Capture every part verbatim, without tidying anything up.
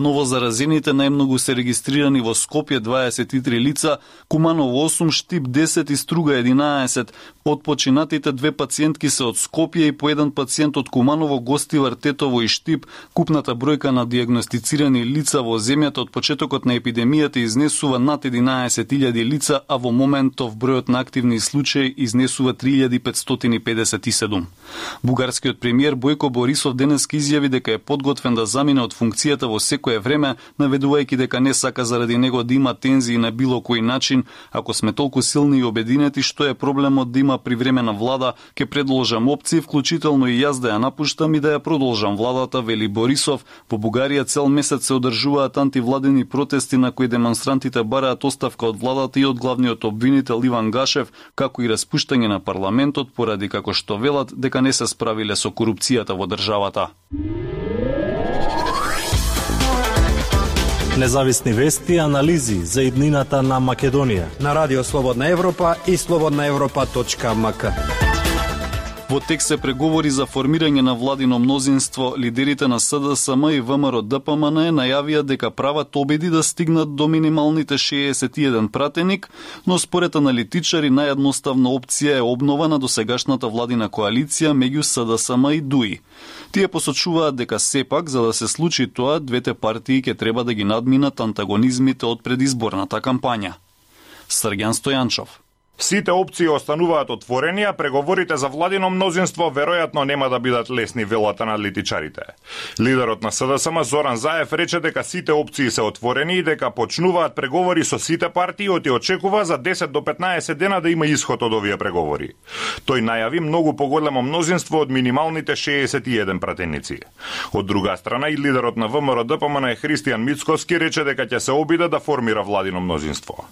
Новозаразените најмногу се регистрирани во Скопје дваесет и три лица, Куманово осум, Штип десет и Струга единаесет. Од починатите две пациентки се од Скопје и по еден пациент од Куманово, Гостивар, Тетово и Штип. Купната бројка на диагностицирани лица во земјата од почетокот на епидемијата изнесува над единаесет илјади лица, а во моментов бројот на активни случаи изнесува три илјади петстотини педесет и седум. Бугарскиот премиер Бојко Борисов денеска изјави дека е подготвен да замине од функцијата во секое време, наведувајќи дека не сака заради него да има тензии на било кој начин. Ако сме толку силни и обединети, што е проблемот да има привремена влада, ќе предложам опции, вклучително и јас да ја напуштам и да ја продолжам владата, вели Борисов. Во Бугарија цел месец се одржуваат антивладени протести на кои демонстрантите бараат оставка од владата и од главниот обвинител Иван Гашев, како и распуштање на парламентот поради како што велат дека не се справиле со корупцијата во државата. Независни вести и анализи за иднината на Македонија на Радио Слободна Европа и слободна европа точка ем ка. Во текст се преговори за формирање на владино мнозинство. Лидерите на С Д С М и В М Р Д П М Н најавија дека прават обиди да стигнат до минималните шеесет и еден пратеник, но според аналитичари наједноставна опција е обнова на досегашната владина коалиција меѓу С Д С М и Д У И. Тие посочуваат дека сепак, за да се случи тоа, двете партии ќе треба да ги надминат антагонизмите од предизборната кампања. Срѓан Стојанчов. Сите опции остануваат отворени, а преговорите за владино мнозинство веројатно нема да бидат лесни, велат аналитичарите. Лидерот на С Д С М Зоран Заев рече дека сите опции се отворени и дека почнуваат преговори со сите партии и очекува за десет до петнаесет дена да има исход од овие преговори. Тој најави многу поголемо мнозинство од минималните шеесет и еден пратеници. Од друга страна и лидерот на В М Р Д П М Н Христијан Мицковски рече дека ќе се обиде да формира владино мнозинство.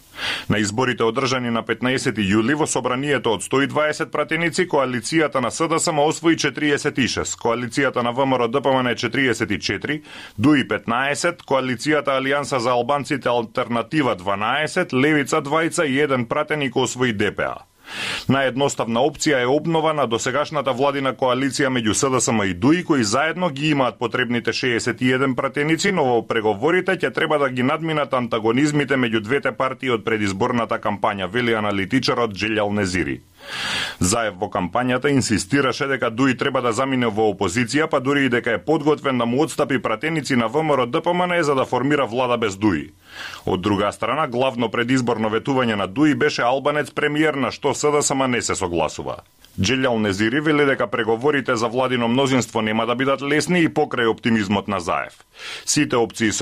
На изборите одржани на петнаесети јули во собранието од сто и дваесет пратеници, коалицијата на С Д С М освои четириесет и шест, коалицијата на В М Р Д П М Н четириесет и четири, Д У И петнаесет, коалицијата Алијанса за албанците Алтернатива дванаесет, Левица двајца и еден пратеник освои Д П А. Наједноставна опција е обнова на досегашната владина коалиција меѓу С Д С М и Д У И, кои заедно ги имаат потребните шеесет и еден пратеници, но во преговорите ќе треба да ги надминат антагонизмите меѓу двете партии од предизборната кампања, вели аналитичарот Джелјал Незири. Заев во кампањата инсистираше дека Д У И треба да замине во опозиција, па дури и дека е подготвен да му отстапи пратеници на В М Р Д П М Н за да формира влада без Д У И. Од друга страна, главно предизборно ветување на Д У И беше албанец премиер, на што С Д С М не се согласува. Джелјал Незири вели дека преговорите за владино мнозинство нема да бидат лесни и покрај оптимизмот на Заев. Сите опции се